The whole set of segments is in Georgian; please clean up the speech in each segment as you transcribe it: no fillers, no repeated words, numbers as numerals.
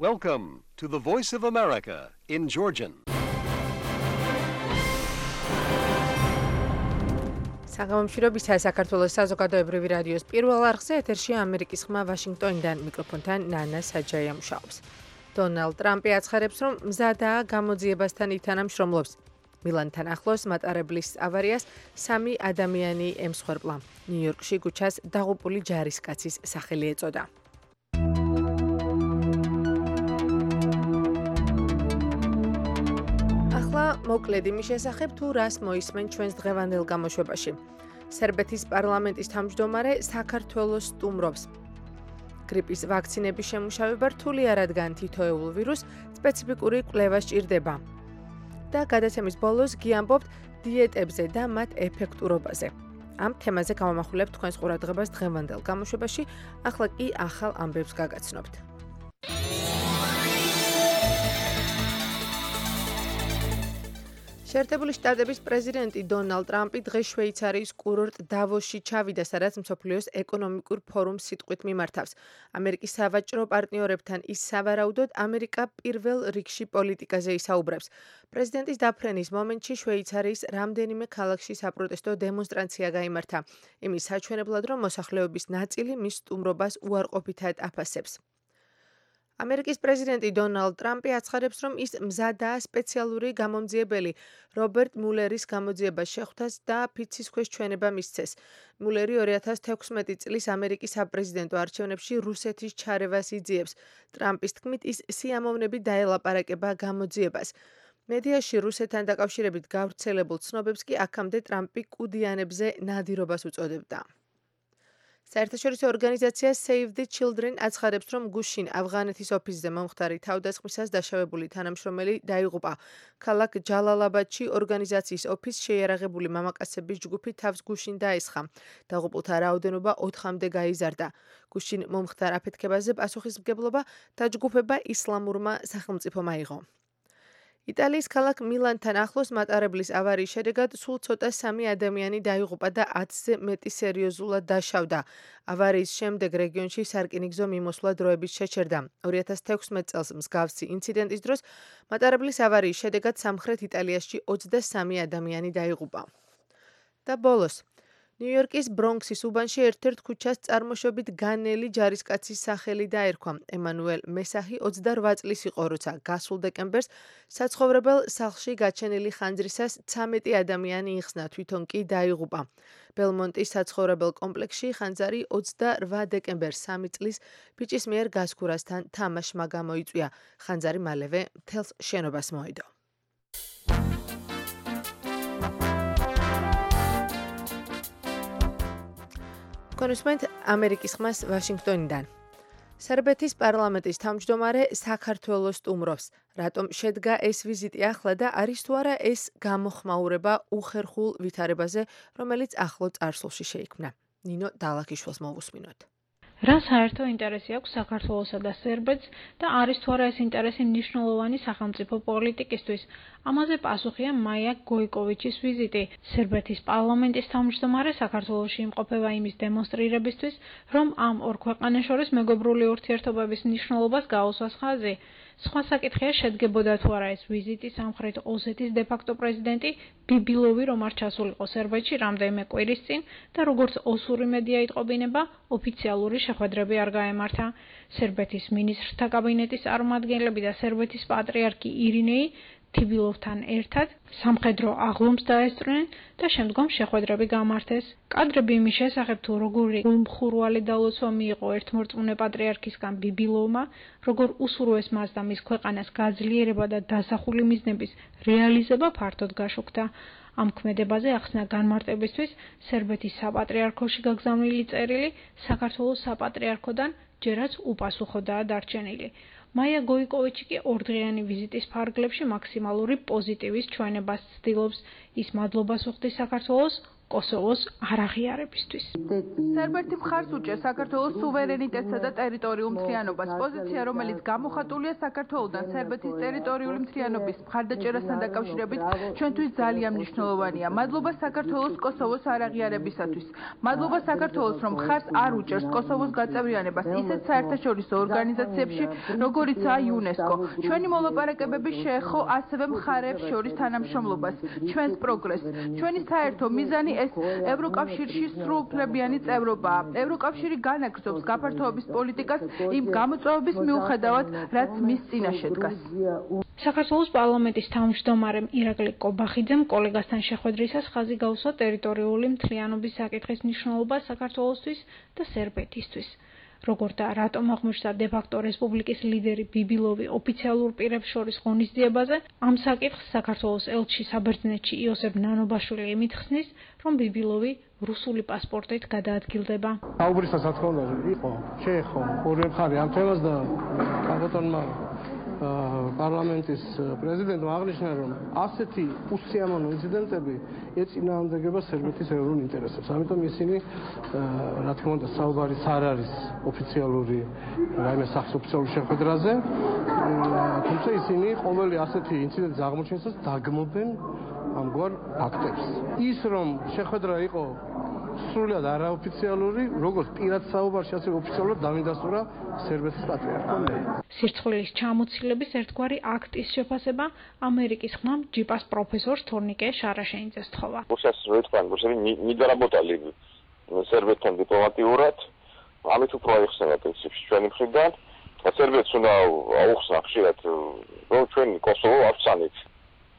Welcome to the Voice of America in Georgian. საღამომშვიდობისა საქართველოს საზოგადოებრივი რადიოს პირველ არხზე ეთერშია ამერიკის ხმა ვაშინგტონიდან მიკროფონთან ნანა საჯაია მუშაობს. დონალდ ტრამპი აცხადებს, რომ მზადაა გამოძიებასთან ითანამშრომლობს. მილანთან ახლოს მატარებლის ავარიას 3 ადამიანი ემსხვერპლა. ნიუ-იორკში ქუჩას დაღუპული ჯარისკაცის სახელი ეწოდა. მოკლედ იმის შესახებ თუ რას მოისმენ ჩვენს დღევანდელ გამოშვებაში. სერბეთის პარლამენტის თავმჯდომარე საქართველოს სტუმრობს. გრიპის ვაქცინების შემუშავება რთული არ რადგან თითოეულ ვირუსს სპეციფიკური კვლევა სჭირდება. და გადაცემის ბოლოს გიამბობთ დიეტებზე და მათ ეფექტურობაზე. ამ თემაზე გავამახვილებთ თქვენს ყურადღებას დღევანდელ გამოშვებაში, ახლა კი ახალ ამბებს გაგაცნობთ. შეერთებული შტატების პრეზიდენტი დონალდ ტრამპი დღეს შვეიცარიის კურორტ დავოსში ჩავიდა, სადაც მსოფლიოს ეკონომიკურ ფორუმს სიტყვით მიმართავს. ამერიკის სავაჭრო პარტნიორებთან ის სავარაუდოდ ამერიკა პირველ რიგში პოლიტიკაზე ისაუბრებს. პრეზიდენტის დაფრენის მომენტში შვეიცარიის რამდენიმე ქალაქში საპროტესტო დემონსტრაცია გაიმართა. იმის საჩვენებლად, რომ მოსახლეობის ნაწილი მის სტუმრობას უარყოფითად აფასებს. ამერიკის პრეზიდენტი დონალდ ტრამპი აცხადებს, რომ ის მზადაა სპეციალური გამომძიებელი რობერტ მულერის გამოძიებას შეხვდას და ფიცის ქვეშ ჩვენება მისცეს. მულერი 2016 წლის ამერიკის საპრეზიდენტო არჩევნებში რუსეთის ჩარევას იძიებს. ტრამპის თქმით, ის სიამოვნებით დაელაპარაკება გამოძიებას. მედიაში რუსეთთან დაკავშირებით გავრცელებულ ცნობებს კი აქამდე ტრამპი კუდიანებზე ნადირობას უწოდებდა. საერთაშორისო ორგანიზაცია Save the Children აცხადებს, რომ გუშინ ავღანეთის ოფისზე მომხდარი თავდასხმისას დაშავებული თანამშრომელი დაიღუპა. ქალაქ ჯალალაბადში ორგანიზაციის ოფისს შეიარაღებული მამაკაცების ჯგუფი თავს გუშინ დაესხა. დაღუპულთა რაოდენობა 4-მდე გაიზარდა. გუშინ მომხდარ აფეთქებაზე პასუხისმგებლობა დაჯგუფება ისლამურმა სახელმწიფომ აიღო. იტალიის ქალაქ მილანთან ახლოს მატარებლის ავარიის შედეგად სულ ცოტა 3 ადამიანი დაიღუპა და 10-ზე მეტი სერიოზულად დაშავდა. ავარიის შემდეგ რეგიონში სარკინიგზო მიმოსვლა დროებით შეჩერდა. 2016 წელს მსგავსი ინციდენტის დროს მატარებლის ავარიის შედეგად სამხრეთ იტალიაში 23 ადამიანი დაიღუპა. და ბოლოს ნიუ-იორკის ბრონქსის უბანში ერთ-ერთ ქუჩას წარმოშობით განელი ჯარისკაცის სახელი დაერქვა. ემანუელ მესაჰი 28 წლის იყო, როცა გასულ დეკემბერს საცხოვრებელ სახლში გაჩენილი ხანძრისას 13 ადამიანი იხსნა, თვითონ კი დაიღუპა. ბელმონტის საცხოვრებელ კომპლექსში ხანძარი 28 დეკემბერს 3 წლის ბიჭის მიერ გასქურასთან თამაშმა გამოიწვია. ხანძარი მალევე მთელს შენობას მოედო. კონსუმენტ ამერიკის ხმას ვაშინგტონიდან. სერბეთის პარლამენტის თავმჯდომარე საქართველოს სტუმრობს. რატომ შედგა ეს ვიზიტი ახლა და არის თუ არა ეს გამოხმაურება უხერხულ ვითარებაზე, რომელიც ახლო წარსულში შეიქმნა. ნინო დალაქიშვილს მოვუსმინოთ. რა საერთო ინტერესი აქვს საქართველოსა და სერბეთს და არის თუ არა ეს ინტერესი მნიშვნელოვანი სახელმწიფო პოლიტიკისთვის? ამაზე პასუხია მაია გოიკოვიჩის ვიზიტი. სერბეთის პარლამენტის თავმჯდომარე საქართველოში იმყოფება იმის დემონსტრირებისთვის, რომ ამ ორ ქვეყანას შორის მეგობრული ურთიერთობების მნიშვნელობას გაუსვას ხაზი. სხვა საკითხია შედგებოდა თუ არა ეს ვიზიტი სამხრეთ ოსეთის დე-ფაქტო პრეზიდენტი ბიბილოვი რომ არ ჩასულიყო სერბეთში რამდენიმე კვირის წინ და როგორც ოსური მედია იტყობინება, ოფიციალური შეხვედრები არ გაემართა. სერბეთის მინისტრთა კაბინეტის წარმომადგენლები და სერბეთის პატრიარქი ირინეი თიბილოვთან ერთად სამხედრო აღლუმს დაესწრნენ და შემდგომ შეხვედრები გამართეს. კადრები იმის შესახებ თუ როგორი გულმხურვალი დალოცვა მიიღო ერთმორწმუნე პატრიარქისგან ბიბილოვმა, როგორ უსურვეს მას და მის ქვეყანას გაძლიერება და დასახული მიზნების რეალიზება ფართოდ გაშუქდა. ამ ქმედებაზე ახსნა განმარტებისთვის სერბეთის საპატრიარქოში გაგზავნილი წერილი საქართველოს საპატრიარქოდან ჯერაც უპასუხოდაა დარჩენილი. მაია გოიკოვიჩი კი ორდღიანი ვიზიტის ფარგლებში მაქსიმალური პოზიტივის ჩვენებას ცდილობს. ის მადლობას უხდის საქართველოს კოსოვოს არაღიარებისთვის. სერბეთი მხარს უჭერს საქართველოს სუვერენიტეტსა და ტერიტორიულ მთლიანობას. პოზიცია, რომელიც გამოხატულია საქართველოდან სერბეთის ტერიტორიული მთლიანობის მხარდაჭერასთან დაკავშირებით, ჩვენთვის ძალიან მნიშვნელოვანია. მადლობა საქართველოს კოსოვოს არაღიარებისათვის. მადლობა საქართველოს, რომ მხარს არ უჭერს კოსოვოს გაწევრიანებას ისეთ საერთაშორისო ორგანიზაციებში, როგორიცაა იუნესკო. ჩვენი მოლაპარაკებები შეეხო ასევე მხარეებს შორის თანამშრომლობას, ჩვენს პროგრესს. ჩვენი საერთო მიზანი ეს ევროკავშირში სრულუფლებიანი წევრობაა. ევროკავშირი განაგრძობს გაფართოების პოლიტიკას იმ გამოწვევების მიუხედავად, რაც მის წინაშე დგას. საქართველოს პარლამენტის თავმჯდომარემ ირაკლი კობახიძემ კოლეგასთან შეხვედრისას ხაზი გაუსვა ტერიტორიული მთლიანობის საკითხის მნიშვნელობა საქართველოსთვის და სერბეთისთვის. როგორც და რატომ აღმოჩნდა დე-ფაქტო რესპუბლიკის ლიდერი ბიბილოვი ოფიციალურ პირებს შორის ღონისძიებაზე, ამ საკითხს საქართველოს ელჩი საბერძნეთში იოსებ ნანობაშვილი იმითხსნის, რომ ბიბილოვი რუსული პასპორტით გადაადგილდება. აუბრისას რა თქმა უნდა იყო, შეეხო ორივე მხარე ამ თემას და კაბოტონმა პარლამენტის პრეზიდენტმა აღნიშნა, რომ ასეთი უსიამოვნო ინციდენტები ეწინააღმდეგება სერბეთის ეროვნულ ინტერესებს. ამიტომ ისინი, რა თქმა უნდა, საუბარიც არ არის ოფიციალური რაიმე ოფიციალური შეხვედრაზე, თუმცა ისინი ყოველი ასეთი ინციდენტის აღმოჩენისას დაგმობენ ამგვარ ფაქტებს. ის რომ შეხვედრა იყო სრულად არაოფიციალური, როგორც პირად საუბარში, ასევე ოფიციალურად დავინდასტურა სერბეთის პატრიარქომ. სირცხვილის ჩამოცილების ერთგვარი აქტის შეფასება ამერიკის ხმამ ჯიპას პროფესორ თორნიკე შარაშენიძეს თხოვა. не доработали სერბეთთან დიპლომატიურად, ამით უფრო აიხსნება პრინციპში ჩვენი მხრიდან. სერბეთს უნდა აუხსნა ხშირად, რომ ჩვენ კოსოვო ავცანით.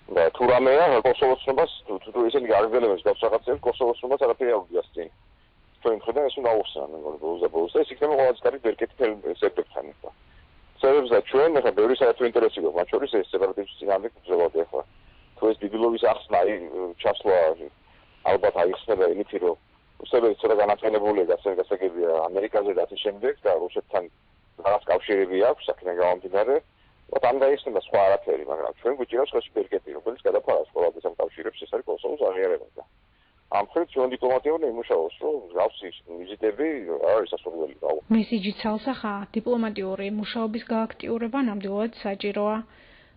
და თუ რამეა კოსოვოს ცნობას, თუ ისინი გარეგნულებს გავს რაღაცებს, კოსოვოს ცნობას არაფერი არ უძიას წინ. ჩვენ მხრიდან ეს უნდა აუხსნა, მეგონი ბოლოს და ეს იქნება ყველაზე კარგი ბერკეტი სერბეთთან. სერბებს და ჩვენ ახლა ბევრი საერთო ინტერესი გვაქვს, მათ შორის ეს სეპარატისტების წინააღმდეგ ბრძოლები ახლა. თუ ეს ბიბილოვის ახსნა, ჩასვლა ალბათ აიხსნება იმით, რომ რუსები ცოტა განაყენებულია გასაგებია ამერიკაზე და ამის შემდეგ და რუსეთთან რაღაც კავშირები აქვს, საქმე გამომდინარე. ამ დაიხსნება სხვა არაფერი, მაგრამ ჩვენ გვიჭირავს ხელში ბერკეტი, რომელიც გადაფარავს ყველაფერს ამ კავშირებს, ეს არის კოსოვოს აღიარება. ამ ხელ ჩვენ დიპლომატიურად იმუშაობს, რომ გავსი ვიზიტები არის სასურველი. მესიჯი ცალსახა დიპლომატიური მუშაობის გააქტიურება ნამდვილად საჭიროა.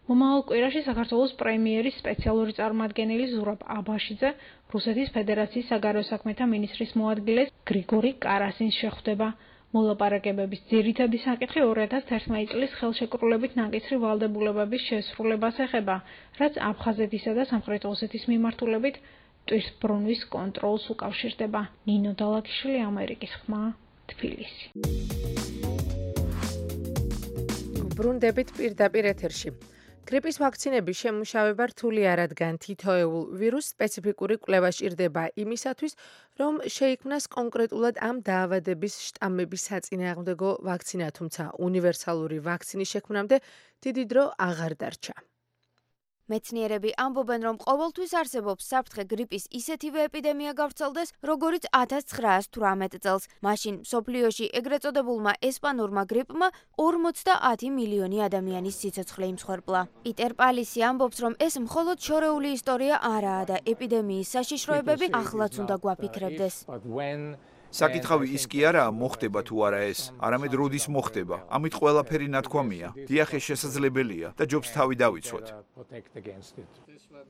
მომავალ კვირაში საქართველოს პრემიერის სპეციალური წარმომადგენელი ზურაბ აბაშიძე რუსეთის ფედერაციის საგარეო საქმეთა მინისტრის მოადგილეს გრიგორი კარასინს შეხვდება. მოლაპარაკებების ძირითადი საკითხი 2011 წლის ხელშეკრულებით ნაკისრი ვალდებულებების შესრულებას ეხება, რაც აფხაზეთისა და სამხრეთ ოსეთის მიმართულებით ტვირთბრუნვის კონტროლს უკავშირდება. ნინო დალაკიშვილი, ამერიკის ხმა, თბილისი. ბრუნდებით პირდაპირ ეთერში. გრიპის ვაქცინების შემუშავება რთული არ რადგან თითოეულ ვირუსს სპეციფიკური კვლევა სჭირდება იმისათვის, რომ შეიქმნას კონკრეტულად ამ დაავადების შტამების საწინააღმდეგო ვაქცინა, თუმცა უნივერსალური ვაქცინის შექმნამდე დიდი დრო აღარ დარჩა. მეცნიერები ამბობენ, რომ ყოველთვის არსებობს საფრთხე გრიპის ისეთივე ეპიდემია გავრცელდეს, როგორიც 1918 წელს. მაშინ მსოფლიოში ეგრეთ წოდებულმა ესპანურმა გრიპმა 50 მილიონი ადამიანის სიცოცხლე იმსხვერპლა. პიტერ პალისი ამბობს, რომ ეს მხოლოდ შორეული ისტორია არაა და ეპიდემიის საშიშროებები ახლაც უნდა გვაფიქრებდეს. საკითხავი ის კი არაა, მოხდება თუ არა ეს, არამედ როდის მოხდება. ამით ყველაფერი ნათქვამია. დიახ, ეს შესაძლებელია და ჯობს თავი დავიცვათ.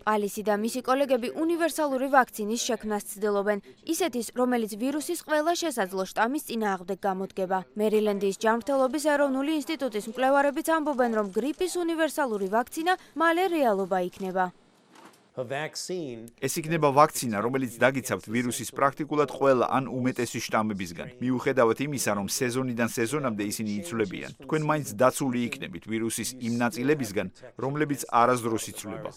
პალისი და მისი კოლეგები უნივერსალური ვაქცინის შექმნას ცდილობენ, ისეთის, რომელიც ვირუსის ყველა შესაძლო შტამის წინააღმდეგ გამოდგება. მერილენდის ჯანმრთელობის ეროვნული ინსტიტუტის მკვლევარებიც ამბობენ, რომ გრიპის უნივერსალური ვაქცინა მალე რეალობა იქნება. ეს იქნება ვაქცინა, რომელიც დაგიცავთ ვირუსის პრაქტიკულად ყველა ან უმეტესი შტამებისგან. მიუხედავად იმისა, რომ სეზონიდან სეზონამდე ისინი იცვლებიან, თქვენ მაინც დაცული იქნებით ვირუსის იმ ნაწილებისგან, რომლებიც არასდროს იცვლება.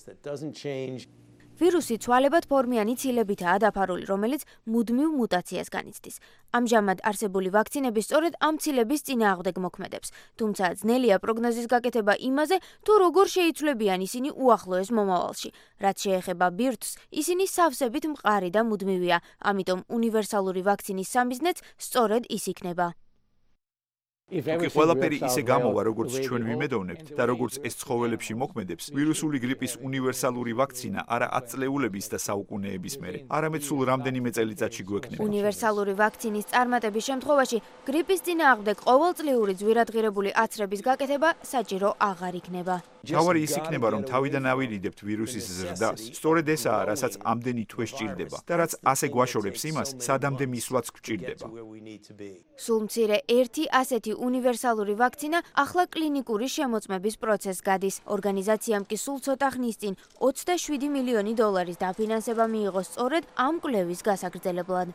ვირუსი ცვალებად ფორმიანი ცილებითაა დაფარული, რომელიც მუდმივ მუტაციას განიცდის. ამჟამად არსებული ვაქცინები სწორედ ამ ცილების წინააღმდეგ მოქმედებს, თუმცა ძნელია პროგნოზის გაკეთება იმაზე, თუ როგორ შეიცვლებიან ისინი უახლოეს მომავალში. რაც შეეხება ბირთვს, ისინი სავსებით მყარი და მუდმივია, ამიტომ უნივერსალური ვაქცინის სამიზნეც სწორედ ის იქნება. თუკი ყველაფერი ისე გამოვა, როგორც ჩვენ ვიმედოვნებთ და როგორც ეს ცხოველებში მოქმედებს, ვირუსული გრიპის უნივერსალური ვაქცინა არა 10 წლეულების და საუკუნეების მერე, არამედ სულ რამდენიმე წელიწადში გვექნება. უნივერსალური ვაქცინის წარმატების შემთხვევაში გრიპის წინააღმდეგ ყოველწლიური ძვირადღირებული აცრების გაკეთება საჭირო აღარ იქნება. თავარი ის იქნება, რომ თავიდან ავირიდებთ ვირუსის ზრდას. სწორედ ესაა, რასაც ამდენი თვე სჭირდება და რაც ასე გვაშორებს იმას, სადამდე მისვლაც გვჭირდება. სულ მცირე ერთი ასეთი უნივერსალური ვაქცინა ახლა კლინიკური შემოწმების პროცესს გადის. ორგანიზაციამ კი სულ ცოტა ხნის წინ 27 მილიონი დოლარის დაფინანსება მიიღო სწორედ ამ კვლევის გასაგრძელებლად.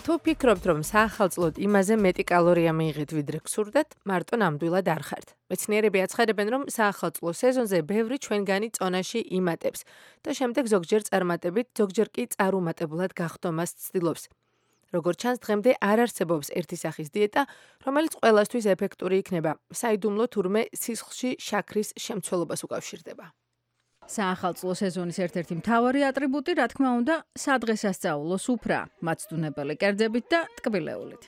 თუ ფიქრობთ, რომ საახალწლოდ იმაზე მეტი კალორია მიიღეთ, ვიდრე გსურდათ, მარტო ნამდვილად არ ხართ. მეცნიერები აცხადებენ, რომ საახალწლო სეზონზე ბევრი ჩვენგანი წონაში იმატებს და შემდეგ ზოგჯერ წარმატებით, ზოგჯერ კი წარუმატებლად გახდომას ცდილობს. როგორც ჩანს, დღემდე არ არსებობს ერთი სახის დიეტა, რომელიც ყველასთვის ეფექტური იქნება, საიდუმლო თურმე სისხლში შაქრის შემცველობას უკავშირდება. საახალწლო სეზონის ერთ-ერთი მთავარი ატრიბუტი, რა თქმა უნდა, სადღესასწაულო სუფრა, მაცდუნებელი კერძებით და ტკბილეულით.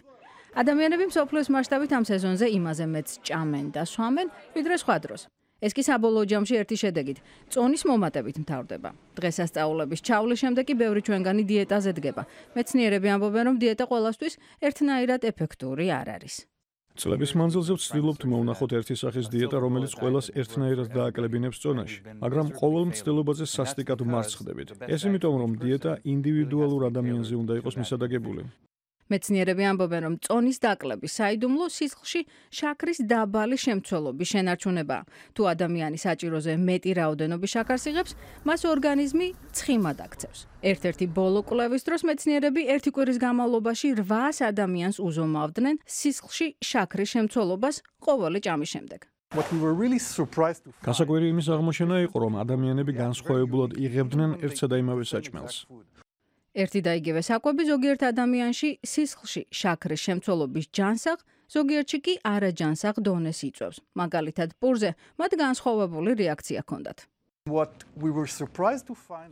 ადამიანები მსოფლიოს მასშტაბით ამ სეზონზე იმაზე მეც ჭამენ და სვამენ, ვიდრე სხვა დროს. ეს კი საბოლოო ჯამში ერთი შედეგით, წონის მომატებით მთავრდება. დღესასწაულების ჩავლის შემდეგ კი ბევრი ჩვენგანი დიეტაზე დგება. მეცნიერები ამბობენ, რომ დიეტა ყველასთვის ერთნაირად ეფექტური არ არის. წლების მანძილზე ვცდილობთ მოვნახოთ ერთი სახის დიეტა, რომელიც ყველას ერთნაირად დააკლებინებს წონაში, მაგრამ ყოველ მცდელობაზე სასტიკად მარცხდებით. ეს იმიტომ, რომ დიეტა ინდივიდუალურ ადამიანზე უნდა იყოს მისადაგებული. მეცნიერები ამბობენ, რომ წონის დაკლების საიდუმლო სისხლში შაქრის დაბალი შემცველობის შენარჩუნებაა. თუ ადამიანი საჭიროზე მეტი რაოდენობის შაქარს იღებს, მას ორგანიზმი ცხიმად აქცევს. ერთ-ერთი ბოლო კვლევის დროს მეცნიერები ერთი კვირის განმავლობაში 800 ადამიანს უზომავდნენ სისხლში შაქრის შემცველობას ყოველი ჭამის შემდეგ. გასაკვირი იმის აღმოჩენა იყო, რომ ადამიანები განსხვავებულად იღებდნენ ერთსა და იმავე საჭმელს. ერთი და იგივე საკვები ზოგიერთ ადამიანში სისხლში შაქრის შემცველობის ჯანსაღ, ზოგიერთში კი არაჯანსაღ დონეს იწვევს. მაგალითად, პურზე მათ განსხვავებული რეაქცია ჰქონდათ.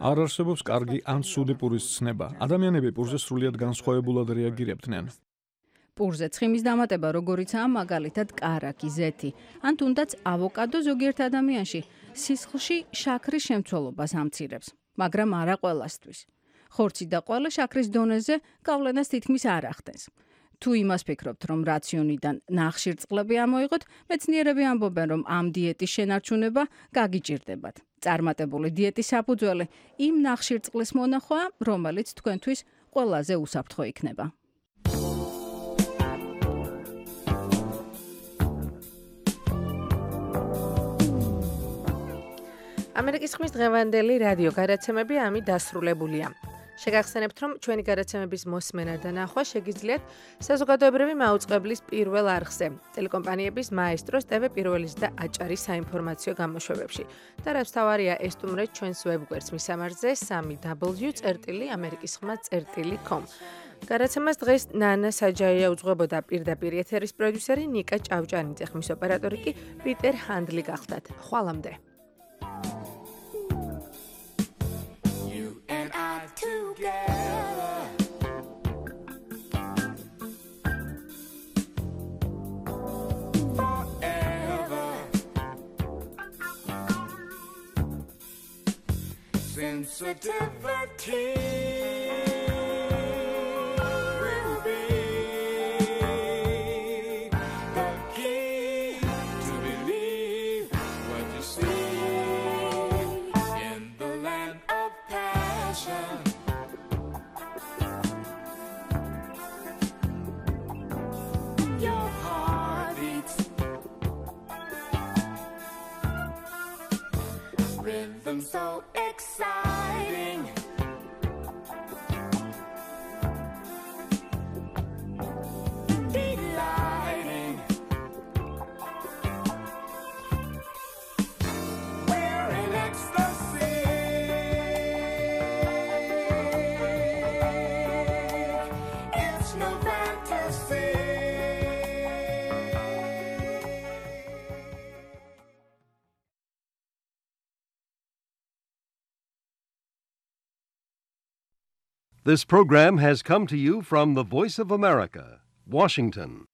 არ არსებობს კარგი ან ცუდი პურის ცნება. ადამიანები პურზე სრულიად განსხვავებულად რეაგირებდნენ. პურზე ცხიმის დამატება, როგორიცაა მაგალითად კარაკი, ზეთი, ან თუნდაც ავოკადო ზოგიერთ ადამიანში სისხლში შაქრის შემცველობას ამცირებს, მაგრამ არა ყველასთვის. ხორცი და ყვავილე შაქრის დონეზე გავლენას თითქმის არ ახდენს. თუ იმას ფიქრობთ, რომ რაციონიდან ნახშირწყლები ამოიღოთ, მეცნიერები ამბობენ, რომ ამ დიეტის შენარჩუნება გაგიჭირდებათ. წარმატებული დიეტის საფუძველი იმ ნახშირწყლის მონახვაა, რომელიც თქვენთვის ყველაზე უსაფრთხო იქნება. ამერიკის ხმის დღევანდელი რადიო გადაცემები ამით დასრულებულია. შეგახსენებთ, რომ ჩვენი გადაცემების მოსმენა და ნახვა შეგიძლიათ საზოგადოებრივი მაუწყებლის პირველ არხზე, ტელეკომპანიების მაესტროს, TV პირველის და აჭარის საინფორმაციო გამოშვებებში. და რაც თავარია, ესტუმრეთ ჩვენს ვებგვერდს მისამართზე www.amerikiskhma.com. გადაცემას დღეს ნანა საჯაია უძღვებოდა, პირდაპირ ეთერის პროდიუსერი ნიკა ჭავჭანიძე, ხმის ოპერატორი კი პიტერ ჰანდლი გახლდათ. ხვალამდე. Sensitivity will be the key to believe what you see in the land of passion. Your heart beats rhythm so exciting. This program has come to you from the Voice of America, Washington.